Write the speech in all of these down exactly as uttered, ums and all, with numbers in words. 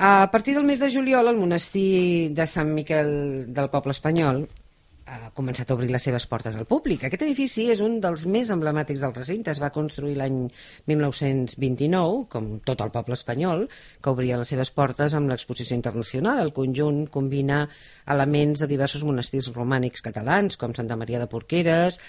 A partir del mes de juliol, el monestir de Sant Miquel del Poble Espanyol ha començat a obrir les seves portes al públic. Aquest edifici és un dels més emblemàtics del recinte. Es va construir l'any mil nou-cents vint-i-nou, com tot el poble espanyol, que obria les seves portes amb l'exposició internacional. El conjunt combina elements de diversos monestirs romànics catalans, com Santa Maria de Porqueres,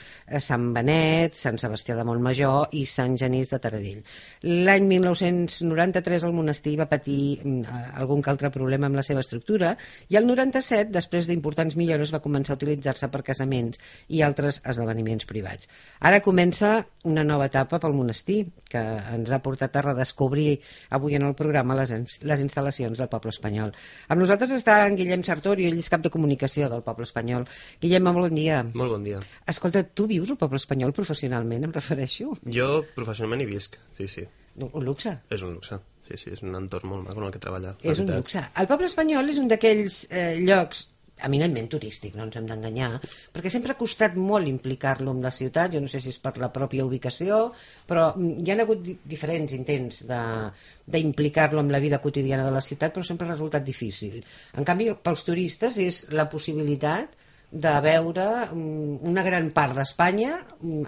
Sant Benet, Sant Sebastià de Montmajor i Sant Genís de Taradell. L'any mil nou-cents noranta-tres el monestir va patir algun que altre problema amb la seva estructura i el noranta-set, després d'importants millores, va començar a utilitzar se per casaments i altres esdeveniments privats. Ara comença una nova etapa pel monestir, que ens ha portat a redescobrir avui en el programa les, les instal·lacions del poble espanyol. Amb nosaltres està en Guillem Sartori, ell és cap de comunicació del poble espanyol. Guillem, bon dia. Molt bon dia. Escolta, tu vius al poble espanyol professionalment, em refereixo? Jo professionalment hi visc, sí, sí. Un luxe. És un luxe, sí, sí, és un entorn molt maco en el que treballar. És un luxe. El poble espanyol és un d'aquells eh, llocs eminentment turístic, no ens hem d'enganyar, perquè sempre ha costat molt implicar-lo en la ciutat. Jo no sé si és per la pròpia ubicació, però hi ha hagut diferents intents d'implicar-lo en la vida quotidiana de la ciutat, però sempre ha resultat difícil. En canvi, pels turistes és la possibilitat de veure una gran part d'Espanya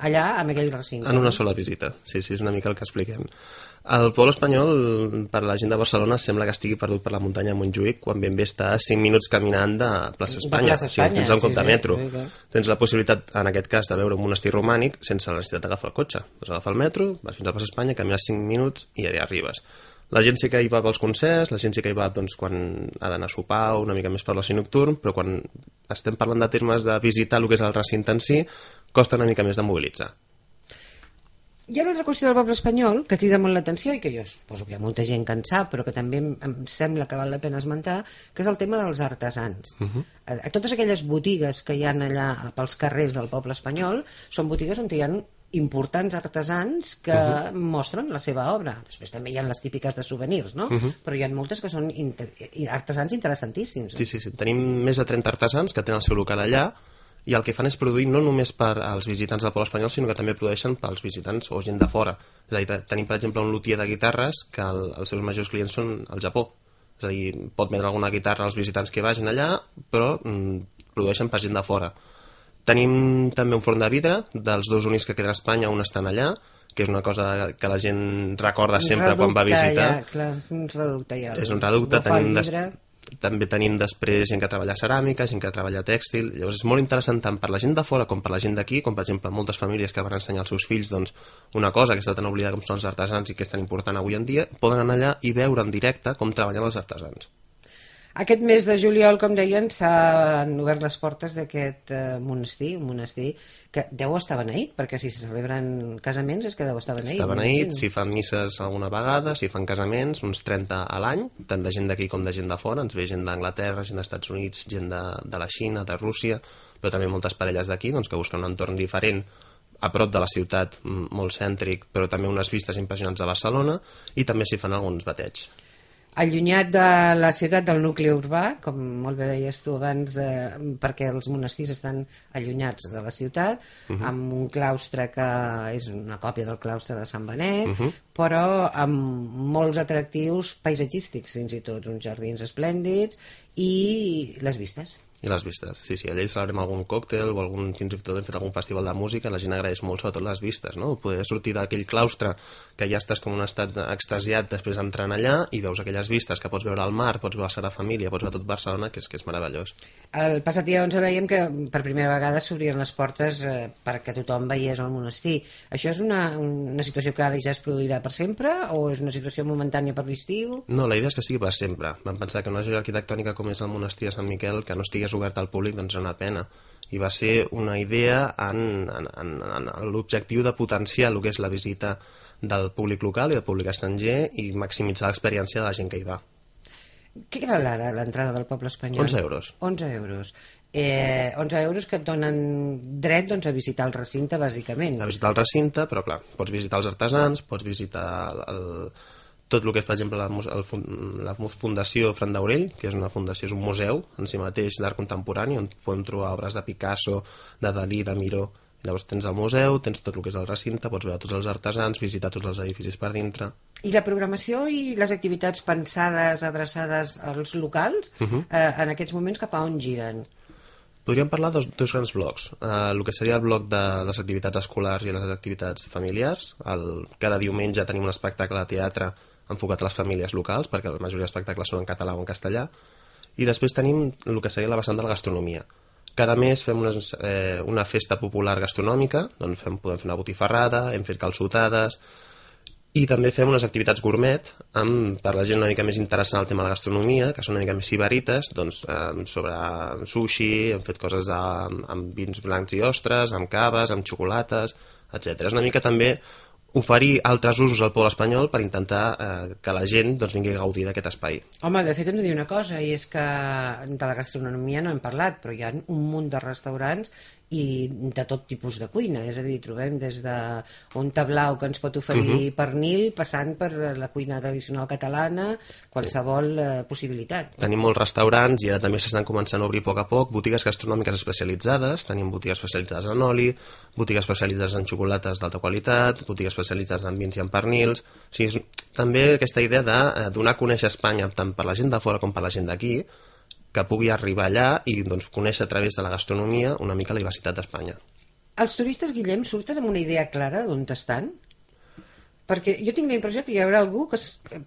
allà, en aquell recinte. En una sola visita, sí, sí, és una mica el que expliquem. El poble espanyol, per la gent de Barcelona, sembla que estigui perdut per la muntanya de Montjuïc, quan ben bé està a cinc minuts caminant de Plaça Espanya. De Plaça Espanya, si tens un cop sí, de metro. Sí, sí. Tens la possibilitat, en aquest cas, de veure un monestir romànic sense la necessitat d'agafar el cotxe. Vas agafar el metro, vas fins a Plaça Espanya, camines cinc minuts i allà arribes. La gent sí que hi va pels concerts, la gent sí que hi va doncs, quan ha d'anar a sopar o una mica més per l'oci nocturn, però quan estem parlant de termes de visitar el que és el recinte en si, costa una mica més de mobilitzar. Hi ha una altra qüestió del poble espanyol que crida molt l'atenció i que jo suposo que hi ha molta gent que en sap, però que també em, em sembla que val la pena esmentar, que és el tema dels artesans. Uh -huh. a, a totes aquelles botigues que hi ha allà pels carrers del poble espanyol són botigues on hi ha importants artesans que uh -huh. mostren la seva obra. Després també hi ha les típiques de souvenirs, no? Uh -huh. Però hi ha moltes que són inter... artesans interessantíssims. Sí, sí, sí. Tenim més de trenta artesans que tenen el seu local allà i el que fan és produir no només per als visitants del poble espanyol, sinó que també produeixen pels visitants o gent de fora. És a dir, tenim, per exemple, un luthier de guitarres que el, els seus majors clients són al Japó. És a dir, pot vendre alguna guitarra als visitants que vagin allà, però mm, produeixen per gent de fora. Tenim també un forn de vidre, dels dos únics que queden a Espanya, un estan allà, que és una cosa que la gent recorda sempre reducte, quan va a visitar. Ja, clar, és un reducte ja. És un reducte, tenim des... també tenim després gent que treballa ceràmica, gent que treballa tèxtil. Llavors és molt interessant tant per la gent de fora com per la gent d'aquí, com per exemple moltes famílies que van ensenyar als seus fills doncs, una cosa que està tan oblidada com són els artesans i que és tan important avui en dia, poden anar allà i veure en directe com treballen els artesans. Aquest mes de juliol, com deien, s'han obert les portes d'aquest eh, monestir, un monestir que deu estar beneït, perquè si se celebren casaments és que deu estar beneït. Està beneït, s'hi fan misses alguna vegada, s'hi fan casaments, uns trenta a l'any, tant de gent d'aquí com de gent de fora. Ens ve gent d'Anglaterra, gent dels Estats Units, gent de, de la Xina, de Rússia, però també moltes parelles d'aquí doncs, que busquen un entorn diferent, a prop de la ciutat, molt cèntric, però també unes vistes impressionants de Barcelona, i també s'hi fan alguns bateigs. Allunyat de la ciutat, del nucli urbà, com molt bé deies tu abans, eh, perquè els monestirs estan allunyats de la ciutat, uh-huh. amb un claustre que és una còpia del claustre de Sant Benet, uh-huh. però amb molts atractius paisatgístics, fins i tot, uns jardins esplèndids i les vistes. I les vistes, sí, sí, allà hi celebrem algun còctel o algun, fins i tot hem fet algun festival de música, la gent agraeix molt sobretot les vistes, no? Poder sortir d'aquell claustre que ja estàs com un estat extasiat després d'entrar allà i veus aquelles vistes que pots veure el mar, pots veure la Sagrada Família, pots veure tot Barcelona, que és, que és meravellós. El passat dia onze dèiem que per primera vegada s'obrien les portes eh, perquè tothom veiés el monestir. Això és una, una situació que ara ja es produirà per sempre o és una situació momentània per l'estiu? No, la idea és que sigui per sempre. Vam pensar que una joia arquitectònica com és el monestir de Sant Miquel, que no estigués obert al públic, doncs és una pena. I va ser una idea en, en, en, en l'objectiu de potenciar el que és la visita del públic local i del públic estranger i maximitzar l'experiència de la gent que hi va. Què val ara l'entrada del poble espanyol? onze euros. onze euros. Eh, onze euros que et donen dret doncs, a visitar el recinte, bàsicament. A visitar el recinte, però clar, pots visitar els artesans, pots visitar el, el, tot el que és, per exemple, la, el, la Fundació Fran d'Aurell, que és una fundació, és un museu en si mateix d'art contemporani, on podem trobar obres de Picasso, de Dalí, de Miró, Llavors tens el museu, tens tot el que és el recinte, pots veure tots els artesans, visitar tots els edificis per dintre. I la programació i les activitats pensades, adreçades als locals, Uh -huh. eh, en aquests moments cap a on giren? Podríem parlar de dos, dos grans blocs. Eh, el que seria el bloc de les activitats escolars i les activitats familiars. El, cada diumenge tenim un espectacle de teatre enfocat a les famílies locals, perquè la majoria d'espectacles són en català o en castellà. I després tenim el que seria la vessant de la gastronomia. Cada mes fem una, eh, una festa popular gastronòmica, doncs fem, podem fer una botifarrada, hem fet calçotades, i també fem unes activitats gourmet amb, per la gent una mica més interessant el tema de la gastronomia, que són una mica més sibarites, doncs, eh, sobre sushi, hem fet coses amb, amb vins blancs i ostres, amb caves, amb xocolates, etcètera. És una mica també oferir altres usos al poble espanyol per intentar eh, que la gent doncs, vingui a gaudir d'aquest espai. Home, de fet hem de dir una cosa, i és que de la gastronomia no hem parlat, però hi ha un munt de restaurants i de tot tipus de cuina, és a dir, trobem des d'un tablau que ens pot oferir uh -huh. pernil, passant per la cuina tradicional catalana, qualsevol sí. possibilitat. Tenim molts restaurants i ara també s'estan començant a obrir a poc a poc botigues gastronòmiques especialitzades, tenim botigues especialitzades en oli, botigues especialitzades en xocolates d'alta qualitat, botigues especialitzades en vins i en pernils. O sigui, és també aquesta idea de donar a conèixer Espanya tant per la gent de fora com per la gent d'aquí, que pugui arribar allà i doncs, conèixer a través de la gastronomia una mica la diversitat d'Espanya. Els turistes, Guillem, surten amb una idea clara d'on estan? Perquè jo tinc la impressió que hi haurà algú que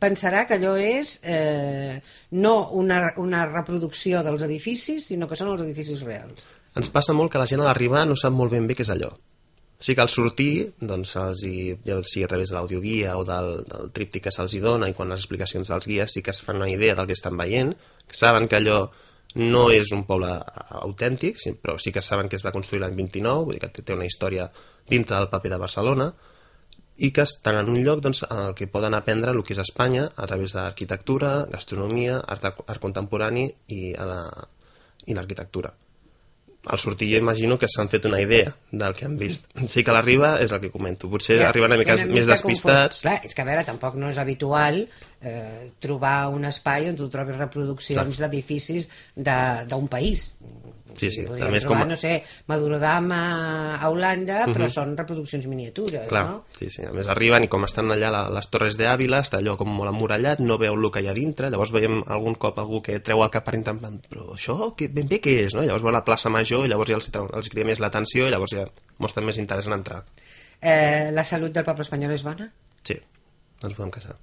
pensarà que allò és eh, no una, una reproducció dels edificis, sinó que són els edificis reals. Ens passa molt que la gent a l'arribar no sap molt ben bé què és allò. Sí que al sortir, doncs, els hi, ja sigui a través de l'audioguia o del, del tríptic que se'ls hi dona i quan les explicacions dels guies sí que es fan una idea del que estan veient, que saben que allò no és un poble autèntic, però sí que saben que es va construir l'any vint-i-nou, vull dir que té una història dintre del paper de Barcelona, i que estan en un lloc doncs, en el que poden aprendre el que és Espanya a través d'arquitectura, gastronomia, art, art contemporani i, i l'arquitectura. Al sortir jo imagino que s'han fet una idea del que han vist. Sí que a l'arriba és el que comento. Potser ja, arriben una mica, una mica més despistats. Clar, és que a veure, tampoc no és habitual eh, trobar un espai on tu trobis reproduccions d'edificis d'un país. Sí, sí. Podríem trobar, com a... no sé, Madurodam a Holanda, però uh -huh. són reproduccions miniatures, clar, no? Sí, sí. A més arriben i com estan allà les Torres de Ávila, està allò com molt emmurallat, no veu el que hi ha dintre, llavors veiem algun cop algú que treu el cap per intentar, però això que, ben bé què és, no? Llavors veu la plaça Major i llavors ja els, els cria més l'atenció i llavors ja mostren més interès en entrar. Eh, la salut del poble espanyol és bona? Sí, ens podem queixar.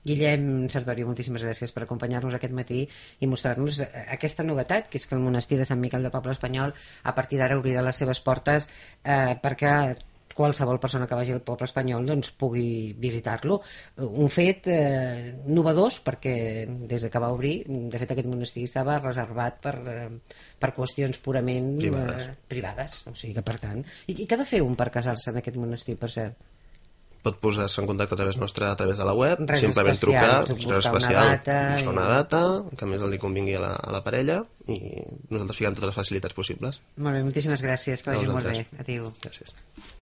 Guillem Sartori, moltíssimes gràcies per acompanyar-nos aquest matí i mostrar-nos aquesta novetat, que és que el monestir de Sant Miquel del Poble Espanyol a partir d'ara obrirà les seves portes eh, perquè qualsevol persona que vagi al poble espanyol doncs, pugui visitar-lo. Un fet eh, novedós, perquè des de que va obrir, de fet aquest monestir estava reservat per, eh, per qüestions purament privades. Eh, privades, o sigui que per tant... I, i què ha de fer un per casar-se en aquest monestir, per cert? Pot posar-se en contacte a través nostre, a través de la web, res simplement especial, trucar, buscar especial, una data, buscar i... una data que a més li convingui a la, a la parella i nosaltres fiquem totes les facilitats possibles. Molt bé, moltíssimes gràcies, que vagi molt bé. Adéu. Gràcies.